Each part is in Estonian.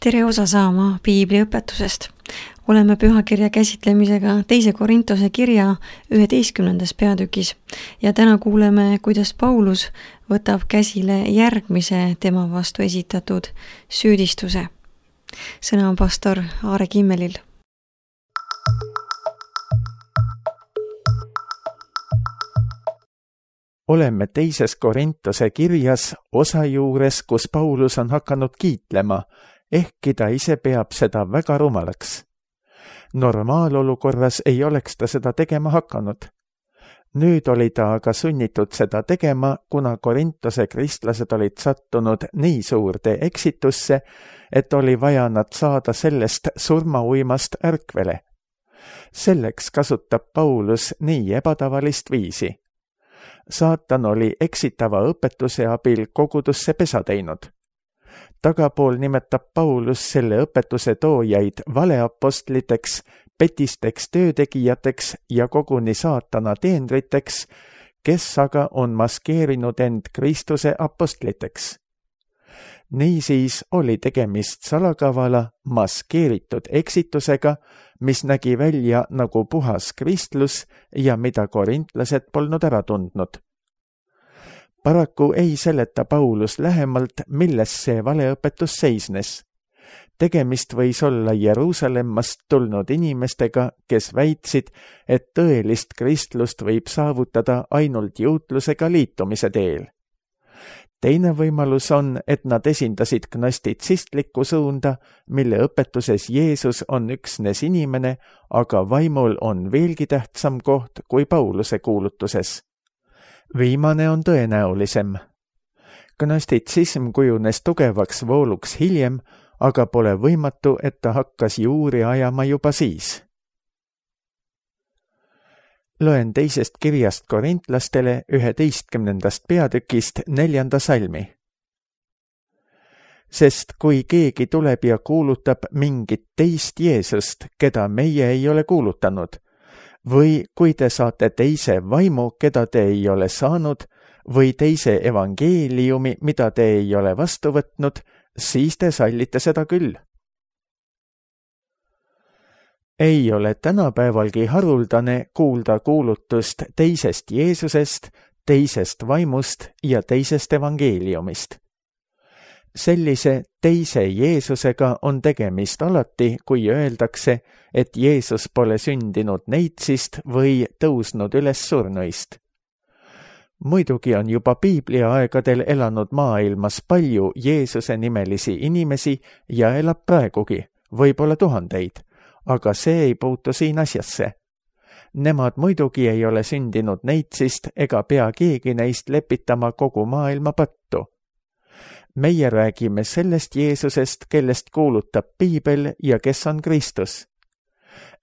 tere osa saama piibliõpetusest. Oleme pühakirja käsitlemisega 2. Korintuse kirja 11. peatükis ja täna kuuleme, kuidas Paulus võtab käsile järgmise tema vastu esitatud süüdistuse. Sõna on pastor Aare Kimmelil. Oleme 2. Korintuse kirjas osa juures, kus Paulus on hakanud kiitlema, ehkki ta ise peab seda väga rumalaks. Normaalolukorras ei oleks ta seda tegema hakanud. Nüüd oli ta aga sunnitud seda tegema, kuna Korintuse kristlased olid sattunud nii suurde eksitusse, et oli vaja nad saada sellest surmauimast ärkvele. Selleks kasutab Paulus nii ebatavalist viisi. Saatan oli eksitava õpetuse abil kogudusse pesa teinud. Tagapool nimetab Paulus selle õpetuse toojaid valeapostliteks, petisteks töötegijateks ja koguni saatana teenriteks, kes aga on maskeerinud end Kristuse apostliteks. Niisiis oli tegemist salakavala, maskeeritud eksitusega, mis nägi välja nagu puhas kristlus ja mida korintlased polnud ära tundnud. Paraku ei seleta Paulus lähemalt, milles see valeõpetus seisnes. Tegemist võis olla Jeruusalemmast tulnud inimestega, kes väitsid, et tõelist kristlust võib saavutada ainult juutlusega liitumise teel. Teine võimalus on, et nad esindasid gnostitsistlikku suunda, mille õpetuses Jeesus on üksnes inimene, aga vaimul on veelgi tähtsam koht kui Pauluse kuulutuses. Viimane on tõenäolisem. Gnostitsism kujunes tugevaks vooluks hiljem, aga pole võimatu, et ta hakkas juuri ajama juba siis. Loen 2. kirjast korintlastele 11. peatükist 4. salmi. Sest kui keegi tuleb ja kuulutab mingit teist Jeesust, keda meie ei ole kuulutanud, või kui te saate teise vaimu, keda te ei ole saanud, või teise evangeeliumi, mida te ei ole vastu võtnud, siis te sallite seda küll. Ei ole tänapäevalgi haruldane kuulda kuulutust teisest Jeesusest, teisest vaimust ja teisest evangeeliumist. Sellise teise Jeesusega on tegemist alati, kui öeldakse, et Jeesus pole sündinud neitsist või tõusnud üles surnuist. Muidugi on juba Piiblia aegadel elanud maailmas palju Jeesuse nimelisi inimesi ja elab praegugi, võib-olla tuhandeid, aga see ei puutu siin asjasse. Nemad muidugi ei ole sündinud neitsist ega pea keegi neist lepitama kogu maailma pattu. Meie räägime sellest Jeesusest, kellest kuulutab Piibel ja kes on Kristus.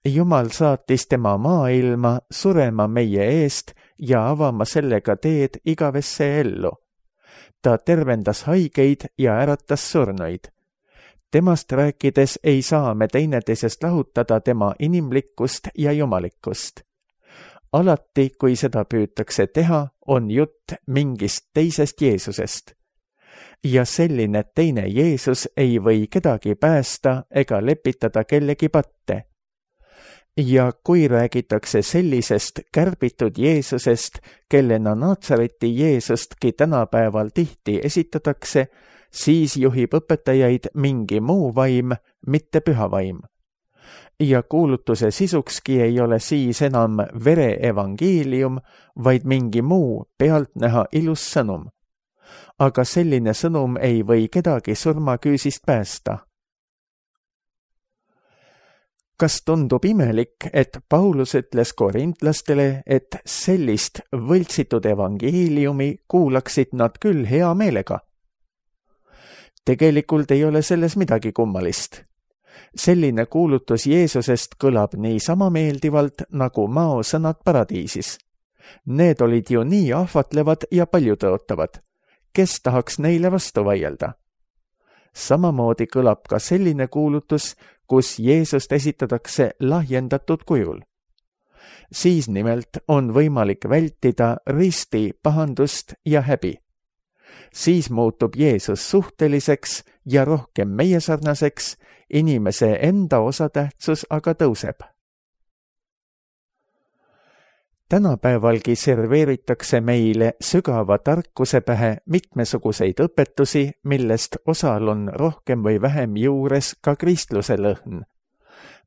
Jumal saatis tema maailma surema meie eest ja avama sellega teed igavesse ellu. Ta tervendas haigeid ja äratas surnuid. Temast rääkides ei saa me teineteisest lahutada tema inimlikkust ja jumalikkust. Alati, kui seda püütakse teha, on jutt mingist teisest Jeesusest. Ja selline teine Jeesus ei või kedagi päästa ega lepitada kellegi patte. Ja kui räägitakse sellisest kärbitud Jeesusest, kellena Naatsareti Jeesustki tänapäeval tihti esitatakse, siis juhib õpetajaid mingi muu vaim, mitte püha vaim. Ja kuulutuse sisukski ei ole siis enam vere evangeelium, vaid mingi muu pealtnäha ilus sõnum. Aga selline sõnum ei või kedagi surmaküüsist päästa. Kas tundub imelik, et Paulus ütles korintlastele, et sellist võltsitud evangeeliumi kuulaksid nad küll hea meelega? Tegelikult ei ole selles midagi kummalist. Selline kuulutus Jeesusest kõlab nii sama meeldivalt nagu maosõnad paradiisis. Need olid ju nii ahvatlevad ja paljutõotavad. Kes tahaks neile vastu vaielda? Samamoodi kõlab ka selline kuulutus, kus Jeesust esitatakse lahjendatud kujul. Siis nimelt on võimalik vältida risti, pahandust ja häbi. siis muutub Jeesus suhteliseks ja rohkem meie sarnaseks, inimese enda osatähtsus aga tõuseb. Tänapäevalgi serveeritakse meile sügava tarkuse pähe mitmesuguseid õpetusi, millest osal on rohkem või vähem juures ka kristluse lõhn.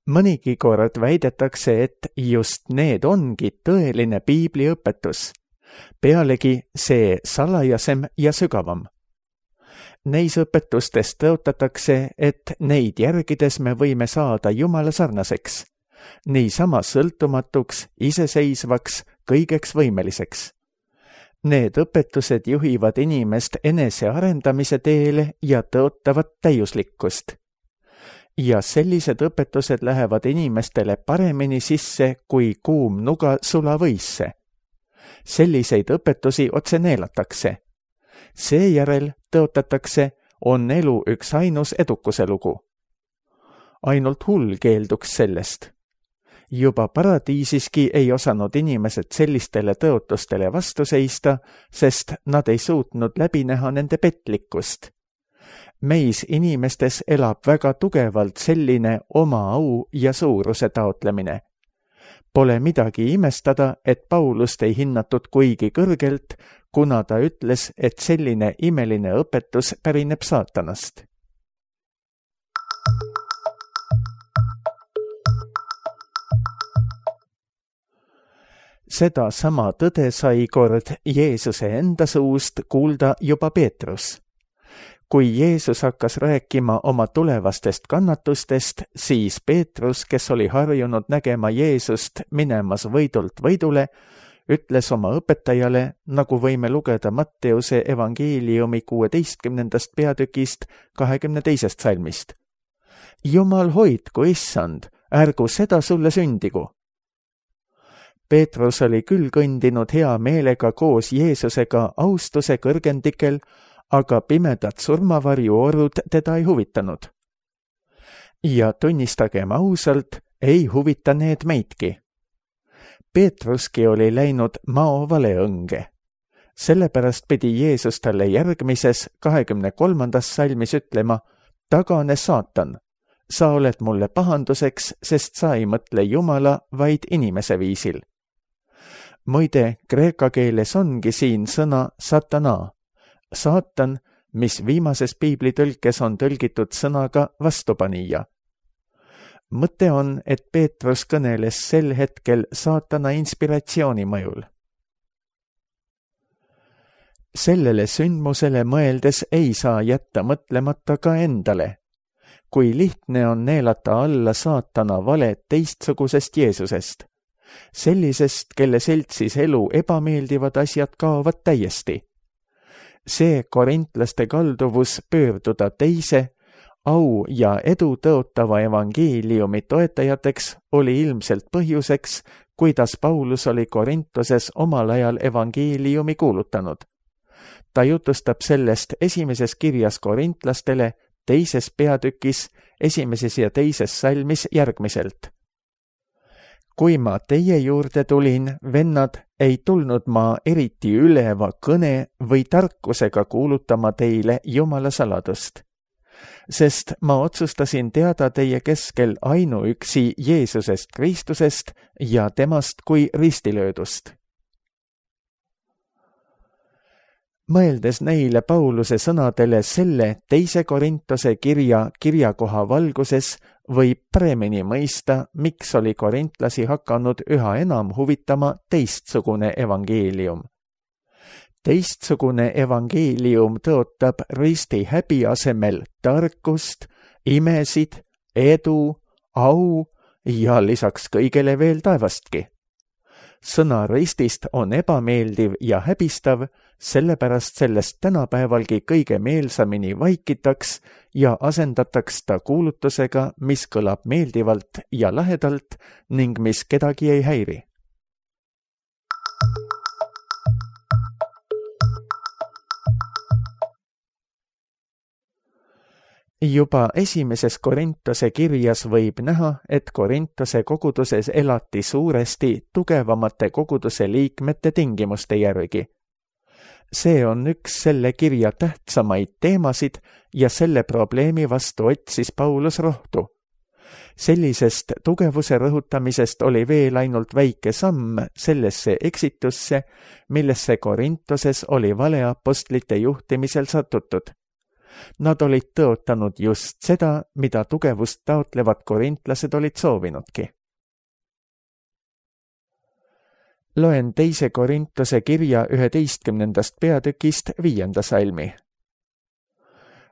Mõnigi kord väidetakse, et just need ongi tõeline piibliõpetus. Pealegi see salajasem ja sügavam. Neis õpetustes tõotatakse, et neid järgides me võime saada Jumala sarnaseks, niisama sõltumatuks, iseseisvaks, kõigeks võimeliseks. Need õpetused juhivad inimest enesearendamise teele ja tõotavad täiuslikkust. Ja sellised õpetused lähevad inimestele paremini sisse kui kuum nuga sulavõisse. Selliseid õpetusi otse neelatakse. Seejärel tõotatakse, on elu üks ainus edukuse lugu. Ainult hull keelduks sellest. Juba paradiisiski ei osanud inimesed sellistele tõotustele vastu seista, sest nad ei suutnud läbi näha nende petlikkust. Meis inimestes elab väga tugevalt selline oma au ja suuruse taotlemine. Pole midagi imestada, et Paulust ei hinnatud kuigi kõrgelt, kuna ta ütles, et selline imeline õpetus pärineb saatanast. Seda sama tõde sai kord Jeesuse enda suust kuulda juba Peetrus. Kui Jeesus hakkas rääkima oma tulevastest kannatustest, siis Peetrus, kes oli harjunud nägema Jeesust minemas võidult võidule, ütles oma õpetajale, nagu võime lugeda Matteuse evangeeliumi 16. peatükist 22. salmist. Jumal hoidku, issand, ärgu seda sulle sündigu. Peetrus oli küll kõndinud hea meelega koos Jeesusega austuse kõrgendikel, aga pimedad surmavarjuorud teda ei huvitanud. Ja tunnistagem ausalt, ei huvita need meidki. Peetruski oli läinud mao valeõnge. Sellepärast pidi Jeesus talle järgmises 23. salmis ütlema, tagane saatan, sa oled mulle pahanduseks, sest sa ei mõtle Jumala, vaid inimese viisil. Muide, kreeka keeles ongi siin sõna satana. Saatan, mis viimases piiblitõlkes on tõlgitud sõnaga vastupanija. Mõte on, et Peetrus kõneles sel hetkel saatana inspiratsiooni mõjul. Sellele sündmusele mõeldes ei saa jätta mõtlemata ka endale. Kui lihtne on neelata alla saatana valed teistsugusest Jeesusest. Sellisest, kelle seltsis elu ebameeldivad asjad kaovad täiesti. See korintlaste kalduvus pöörduda teise, au ja edu tõotava evangeeliumi toetajateks oli ilmselt põhjuseks, kuidas Paulus oli Korintoses omal ajal evangeeliumi kuulutanud. Ta jutustab sellest esimeses kirjas korintlastele, teises peatükis, esimeses ja teises salmis järgmiselt. Kui ma teie juurde tulin, vennad, ei tulnud ma eriti üleva kõne või tarkusega kuulutama teile Jumala saladust. Sest ma otsustasin teada teie keskel ainuüksi Jeesusest Kristusest ja temast kui ristilöödust. Mõeldes neile Pauluse sõnadele selle teise Korintose kirjakoha valguses, võib paremini mõista, miks oli korintlasi hakanud üha enam huvitama teistsugune evangeelium. Teistsugune evangeelium tõotab risti häbi asemel tarkust, imesid, edu, au ja lisaks kõigele veel taevastki. Sõna ristist on ebameeldiv ja häbistav, sellepärast sellest tänapäevalgi kõige meelsamini vaikitaks ja asendataks ta kuulutusega, mis kõlab meeldivalt ja lahedalt ning mis kedagi ei häiri. Juba esimeses Korintose kirjas võib näha, et Korintose koguduses elati suuresti tugevamate koguduse liikmete tingimuste järgi. See on üks selle kirja tähtsamaid teemasid ja selle probleemi vastu otsis Paulus rohtu. Sellisest tugevuse rõhutamisest oli veel ainult väike samm sellesse eksitusse, millesse Korintoses oli valeapostlite juhtimisel satutud. Nad olid tõotanud just seda, mida tugevust taotlevad korintlased olid soovinudki. Loen 2. Korintuse kirja 11. peatükist 5. salmi.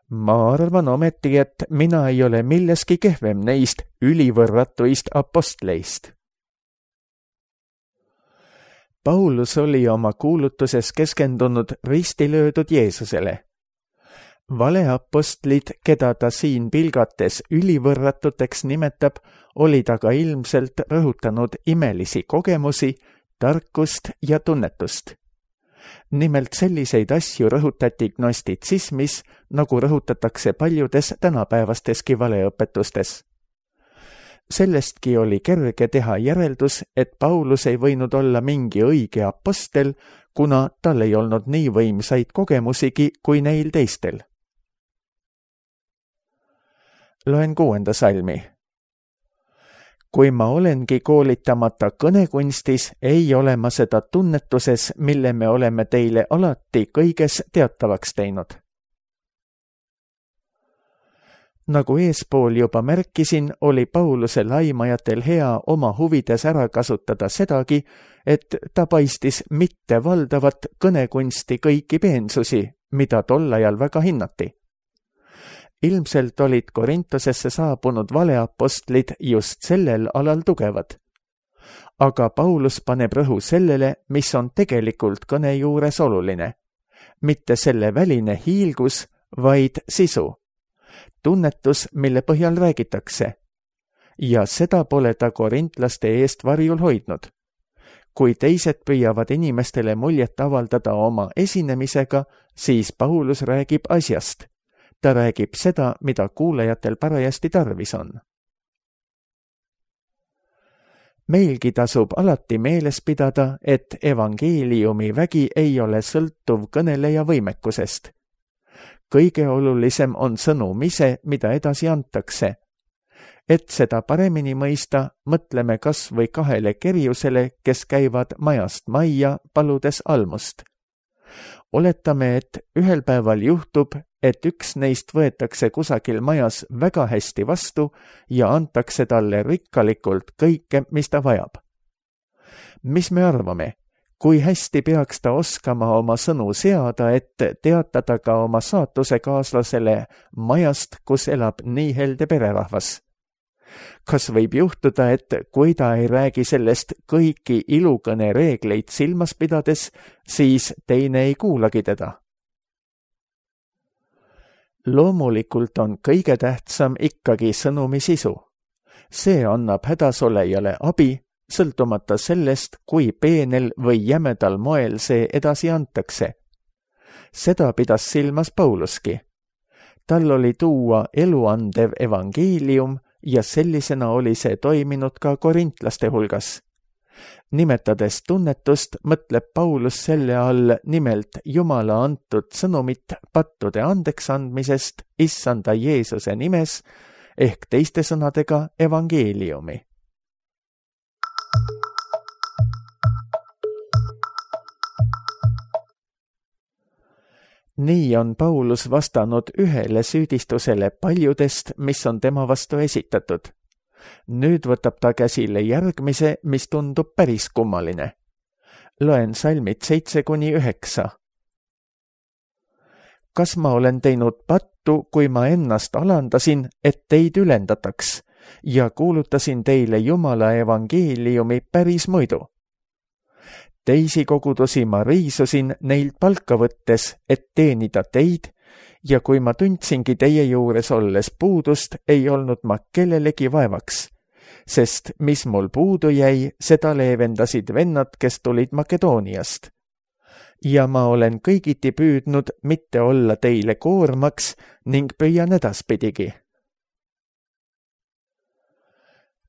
Ma arvan ometi, et mina ei ole milleski kehvem neist ülivõrratuist apostleist. Paulus oli oma kuulutuses keskendunud ristilöödud Jeesusele. Valeapostlid, keda ta siin pilgates ülivõrratuteks nimetab, olid aga ilmselt rõhutanud imelisi kogemusi, tarkust ja tunnetust. Nimelt selliseid asju rõhutati gnostitsismis, nagu rõhutatakse paljudes tänapäevasteski valeõpetustes. Sellestki oli kerge teha järeldus, et Paulus ei võinud olla mingi õige apostel, kuna tal ei olnud nii võimsaid kogemusigi kui neil teistel. Loen 6. salmi. Kui ma olengi koolitamata kõnekunstis, ei ole ma seda tunnetuses, mille me oleme teile alati kõiges teatavaks teinud. Nagu eespool juba märkisin, oli Pauluse laimajatel hea oma huvides ära kasutada sedagi, et ta paistis mitte valdavat kõnekunsti kõiki peensusi, mida tol ajal väga hinnati. Ilmselt olid Korintosesse saabunud valeapostlid just sellel alal tugevad. Aga Paulus paneb rõhu sellele, mis on tegelikult kõne juures oluline. Mitte selle väline hiilgus, vaid sisu. Tunnetus, mille põhjal räägitakse. Ja seda pole ta korintlaste eest varjul hoidnud. Kui teised püüavad inimestele muljet avaldada oma esinemisega, siis Paulus räägib asjast. Ta räägib seda, mida kuulajatel parajasti tarvis on. Meilgi tasub alati meeles pidada, et evangeeliumi vägi ei ole sõltuv kõneleja võimekusest. Kõige olulisem on sõnum ise, mida edasi antakse. Et seda paremini mõista, mõtleme kas või 2 kerjusele, kes käivad majast majja, paludes almust. Oletame, et ühel päeval juhtub, et üks neist võetakse kusagil majas väga hästi vastu ja antakse talle rikkalikult kõike, mis ta vajab. Mis me arvame? Kui hästi peaks ta oskama oma sõnu seada, et teatada ka oma saatusekaaslasele majast, kus elab nii helde pererahvas? Kas võib juhtuda, et kui ta ei räägi sellest kõiki ilukõne reegleid silmas pidades, siis teine ei kuulagi teda? Loomulikult on kõige tähtsam ikkagi sõnumi sisu. See annab hädasolejale abi, sõltumata sellest, kui peenel või jämedal moel see edasi antakse. Seda pidas silmas Pauluski. Tal oli tuua eluandev evangeelium ja sellisena oli see toiminud ka korintlaste hulgas. Nimetades tunnetust, mõtleb Paulus selle all nimelt Jumala antud sõnumit pattude andeks andmisest Issanda Jeesuse nimes ehk teiste sõnadega evangeeliumi. Nii on Paulus vastanud ühele süüdistusele paljudest, mis on tema vastu esitatud. Nüüd võtab ta käsile järgmise, mis tundub päris kummaline. Loen salmid 7-9. Kas ma olen teinud pattu, kui ma ennast alandasin, et teid ülendataks ja kuulutasin teile Jumala evangeeliumi päris muidu? Teisi kogudusi ma riisusin neilt palka võttes, et teenida teid, ja kui ma tundsingi teie juures olles puudust, ei olnud ma kellelegi vaevaks, sest mis mul puudu jäi, seda leevendasid vennad, kes tulid Makedooniast. Ja ma olen kõigiti püüdnud mitte olla teile koormaks ning püüan edaspidigi.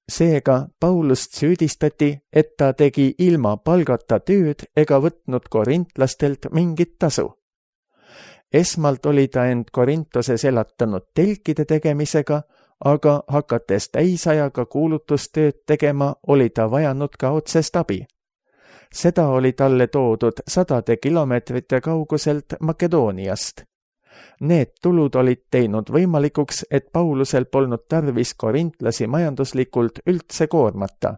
Seega Paulust süüdistati, et ta tegi ilma palgata tööd ega võtnud korintlastelt mingit tasu. Esmalt oli ta end Korintoses elatanud telkide tegemisega, aga hakates täisajaga kuulutustööd tegema, oli ta vajanud ka otsest abi. Seda oli talle toodud 100 kilomeetrite kauguselt Makedooniast. Need tulud olid teinud võimalikuks, et Paulusel polnud tarvis korintlasi majanduslikult üldse koormata.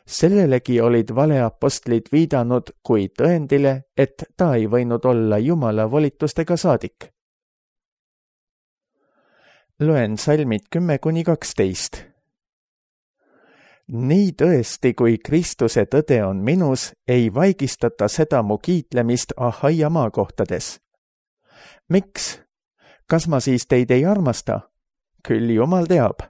Sellelegi olid valeapostlid viidanud kui tõendile, et ta ei võinud olla Jumala volitustega saadik. Loen salmid 10-12. Nii tõesti, kui Kristuse tõde on minus, ei vaigistata seda mu kiitlemist Ahaia maakohtades. Miks? Kas ma siis teid ei armasta? Küll Jumal teab.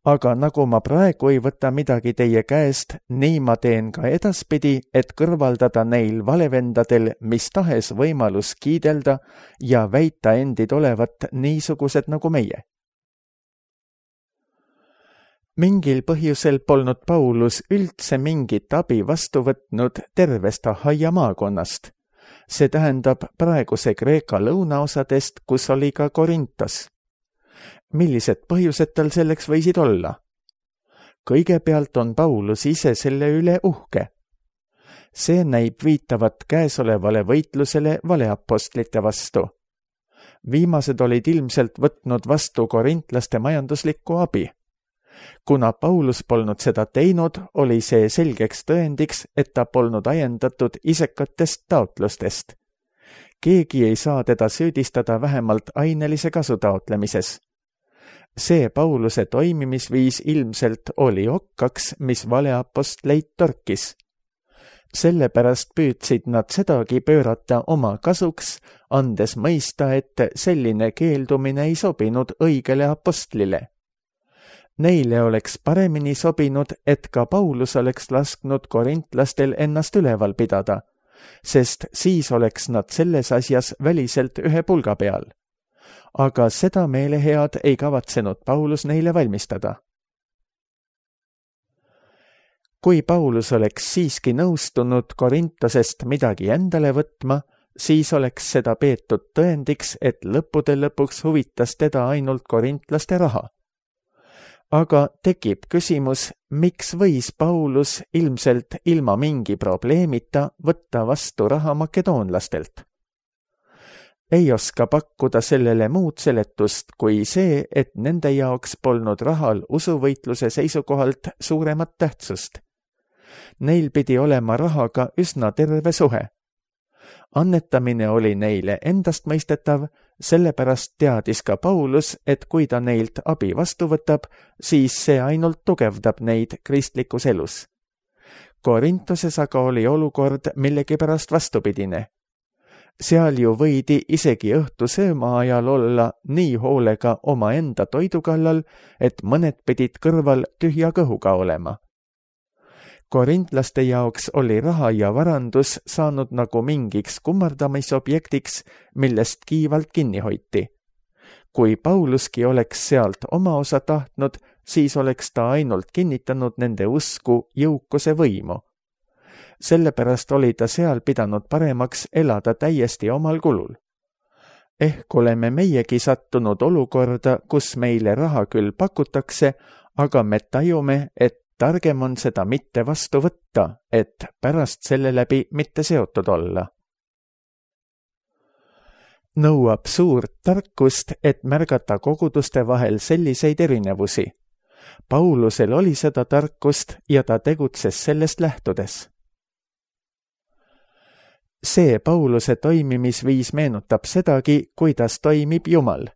Aga nagu ma praegu ei võta midagi teie käest, nii ma teen ka edaspidi, et kõrvaldada neil valevendadel mis tahes võimalus kiidelda ja väita endid olevat niisugused nagu meie. Mingil põhjusel polnud Paulus üldse mingit abi vastu võtnud tervest Ahaia maakonnast. See tähendab praeguse Kreeka lõunaosadest, kus oli ka Korintos. Millised põhjused tal selleks võisid olla? Kõigepealt on Paulus ise selle üle uhke. See näib viitavat käesolevale võitlusele valeapostlite vastu. Viimased olid ilmselt võtnud vastu korintlaste majanduslikku abi. Kuna Paulus polnud seda teinud, oli see selgeks tõendiks, et ta polnud ajendatud isekatest taotlustest. Keegi ei saa teda süüdistada vähemalt ainelise kasu taotlemises. See Pauluse toimimisviis ilmselt oli okkaks, mis valeapostleid torkis. Sellepärast püüdsid nad sedagi pöörata oma kasuks, andes mõista, et selline keeldumine ei sobinud õigele apostlile. Neile oleks paremini sobinud, et ka Paulus oleks lasknud korintlastel ennast üleval pidada, sest siis oleks nad selles asjas väliselt ühe pulga peal. Aga seda meelehead ei kavatsenud Paulus neile valmistada. Kui Paulus oleks siiski nõustunud Korintosest midagi endale võtma, siis oleks seda peetud tõendiks, et lõppude lõpuks huvitas teda ainult korintlaste raha. Aga tekib küsimus, miks võis Paulus ilmselt ilma mingi probleemita võtta vastu raha makedoonlastelt? Ei oska pakkuda sellele muud seletust kui see, et nende jaoks polnud rahal usuvõitluse seisukohalt suuremat tähtsust. Neil pidi olema rahaga üsna terve suhe. Annetamine oli neile endastmõistetav, sellepärast teadis ka Paulus, et kui ta neilt abi vastu võtab, siis see ainult tugevdab neid kristlikus elus. Korintoses aga oli olukord millegipärast vastupidine. Seal ju võidi isegi õhtu sööma ajal olla nii hoolega omaenda toidu kallal, et mõned pidid kõrval tühja kõhuga olema. Korintlaste jaoks oli raha ja varandus saanud nagu mingiks kummardamisobjektiks, millest kiivalt kinni hoiti. Kui Pauluski oleks sealt oma osa tahtnud, siis oleks ta ainult kinnitanud nende usku jõukuse võimu. Sellepärast oli ta seal pidanud paremaks elada täiesti omal kulul. Ehk oleme meiegi sattunud olukorda, kus meile raha küll pakutakse, aga me tajume, et targem on seda mitte vastu võtta, et pärast selle läbi mitte seotud olla. Nõuab suurt tarkust, et märgata koguduste vahel selliseid erinevusi. Paulusel oli seda tarkust ja ta tegutses sellest lähtudes. See Pauluse toimimisviis meenutab sedagi, kuidas toimib Jumal.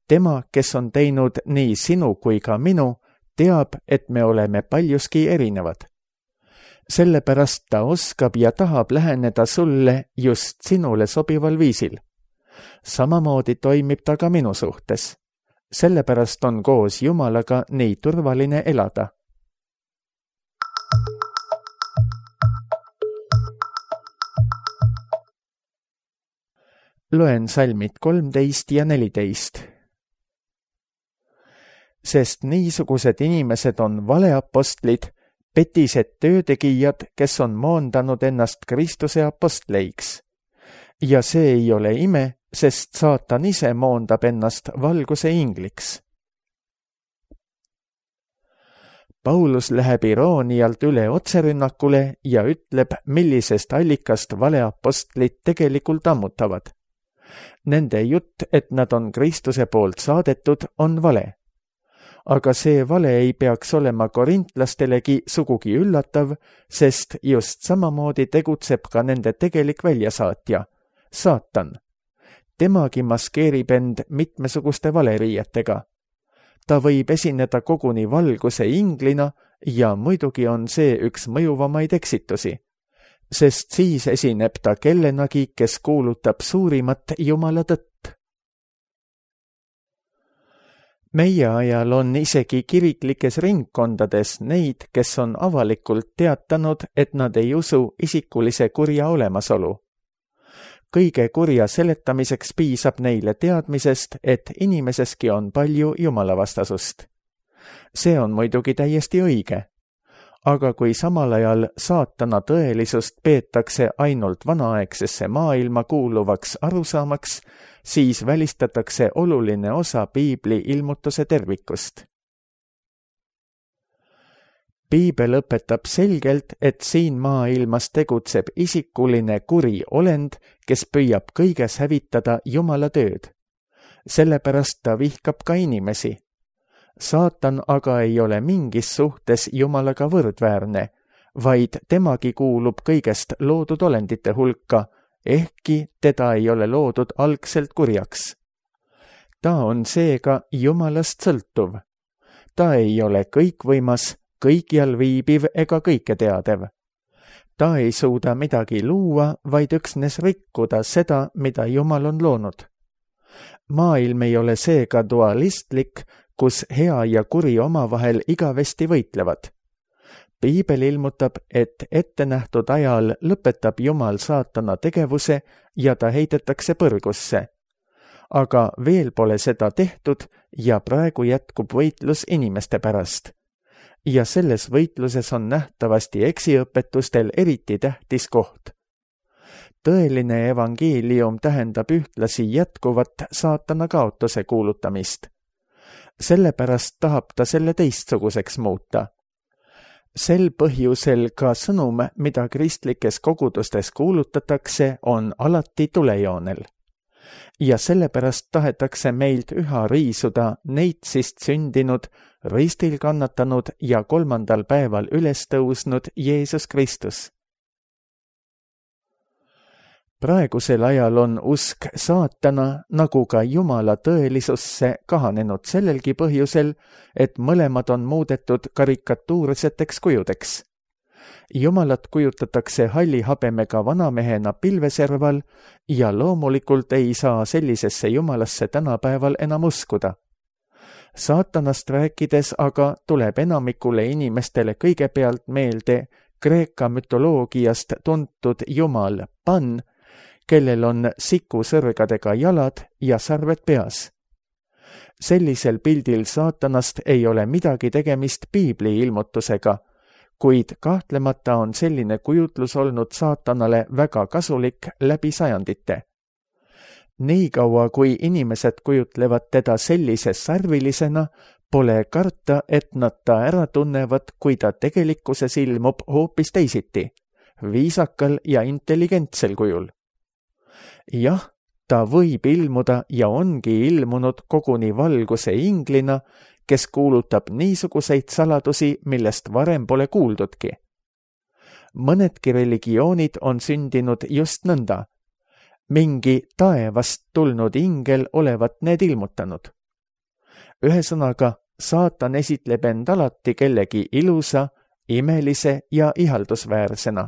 Tema, kes on teinud nii sinu kui ka minu, teab, et me oleme paljuski erinevad. Sellepärast ta oskab ja tahab läheneda sulle just sinule sobival viisil. Samamoodi toimib ta ka minu suhtes. Sellepärast on koos Jumalaga nii turvaline elada. Loen salmid 13 ja 14. sest niisugused inimesed on valeapostlid, petised töötegijad, kes on moondanud ennast Kristuse apostleiks. Ja see ei ole ime, sest saatan ise moondab ennast valguse ingliks. Paulus läheb iroonialt üle otserünnakule ja ütleb, millisest allikast valeapostlid tegelikult ammutavad. Nende jutt, et nad on Kristuse poolt saadetud, on vale. Aga see vale ei peaks olema korintlastelegi sugugi üllatav, sest just samamoodi tegutseb ka nende tegelik väljasaatja, saatan. Temagi maskeerib end mitmesuguste valeriietega. Ta võib esineda koguni valguse inglina ja muidugi on see üks mõjuvamaid eksitusi, sest siis esineb ta kellenagi, kes kuulutab suurimat Jumala tõtt. Meie ajal on isegi kiriklikes ringkondades neid, kes on avalikult teatanud, et nad ei usu isikulise kurja olemasolu. Kõige kurja seletamiseks piisab neile teadmisest, et inimeseski on palju jumalavastasust. See on muidugi täiesti õige. Aga kui samal ajal saatana tõelisust peetakse ainult vanaaegsesse maailma kuuluvaks arusaamaks, siis välistatakse oluline osa piibli ilmutuse tervikust. Piibel õpetab selgelt, et siin maailmas tegutseb isikuline kuri olend, kes püüab kõiges hävitada Jumala tööd. Sellepärast ta vihkab ka inimesi. Saatan aga ei ole mingis suhtes Jumalaga võrdväärne, vaid temagi kuulub kõigest loodud olendite hulka, ehkki teda ei ole loodud algselt kurjaks. Ta on seega Jumalast sõltuv. Ta ei ole kõikvõimas, kõikjal viibiv ega kõike teadev. Ta ei suuda midagi luua, vaid üksnes rikkuda seda, mida Jumal on loonud. Maailm ei ole seega dualistlik, kus hea ja kuri omavahel igavesti võitlevad. Piibel ilmutab, et ettenähtud ajal lõpetab Jumal saatana tegevuse ja ta heidetakse põrgusse. Aga veel pole seda tehtud ja praegu jätkub võitlus inimeste pärast. Ja selles võitluses on nähtavasti eksiõpetustel eriti tähtis koht. Tõeline evangeelium tähendab ühtlasi jätkuvat saatana kaotuse kuulutamist. Sellepärast tahab ta selle teistsuguseks muuta. Sel põhjusel ka sõnum, mida kristlikes kogudustes kuulutatakse, on alati tulejoonel. Ja sellepärast tahetakse meilt üha riisuda neitsist sündinud, ristil kannatanud ja 3. päeval üles tõusnud Jeesus Kristus. Praegusel ajal on usk saatana nagu ka Jumala tõelisusse kahanenud sellelgi põhjusel, et mõlemad on muudetud karikatuurseteks kujudeks. Jumalat kujutatakse halli habemega vanamehena pilveserval ja loomulikult ei saa sellisesse Jumalasse tänapäeval enam uskuda. Saatanast rääkides aga tuleb enamikule inimestele kõigepealt meelde Kreeka mütoloogiast tuntud Jumal Pan, kellel on sikusõrgadega jalad ja sarved peas. Sellisel pildil saatanast ei ole midagi tegemist piibli ilmutusega, kuid kahtlemata on selline kujutlus olnud saatanale väga kasulik läbi sajandite. Niikaua kui inimesed kujutlevad teda sellise sarvilisena, pole karta, et nad ta ära tunnevad, kui ta tegelikkuses ilmub hoopis teisiti, viisakal ja intelligentsel kujul. Jah, ta võib ilmuda ja ongi ilmunud koguni valguse inglina, kes kuulutab niisuguseid saladusi, millest varem pole kuuldudki. Mõnedki religioonid on sündinud just nõnda. Mingi taevast tulnud ingel olevat need ilmutanud. Ühesõnaga, saatan esitleb end alati kellegi ilusa, imelise ja ihaldusväärsena.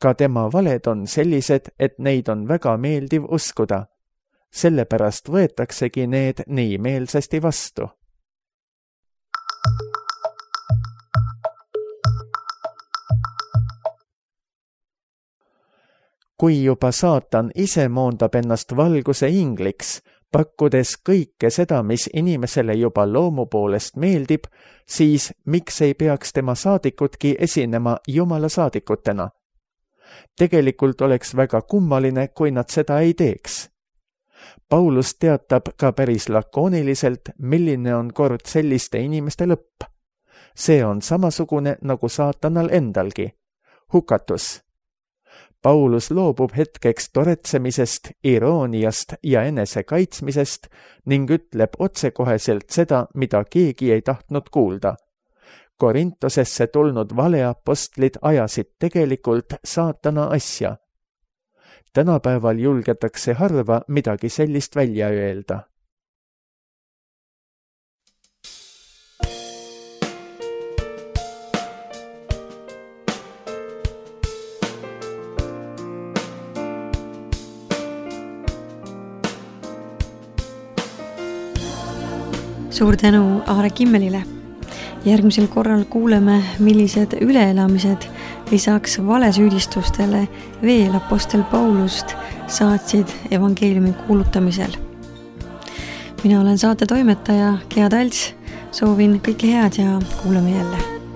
Ka tema valed on sellised, et neid on väga meeldiv uskuda. Sellepärast võetaksegi need nii meelsasti vastu. Kui juba saatan ise moondab ennast valguse ingliks, Pakkudes kõike seda, mis inimesele juba loomu poolest meeldib, siis miks ei peaks tema saadikudki esinema Jumala saadikutena? Tegelikult oleks väga kummaline, kui nad seda ei teeks. Paulus teatab ka päris lakooniliselt, milline on kord selliste inimeste lõpp. See on samasugune nagu saatanal endalgi. Hukatus. Paulus loobub hetkeks toretsemisest, irooniast ja enese kaitsmisest ning ütleb otsekoheselt seda, mida keegi ei tahtnud kuulda. Korintosesse tulnud valeapostlid ajasid tegelikult saatana asja. Tänapäeval julgetakse harva midagi sellist välja öelda. Suur tänu Aare Kimmelile. Järgmisel korral kuuleme, millised üleelamised lisaks valesüüdistustele veel apostel Paulust saatsid evangeeliumi kuulutamisel. Mina olen saate toimetaja Gea Talts, soovin kõike head ja kuulame jälle.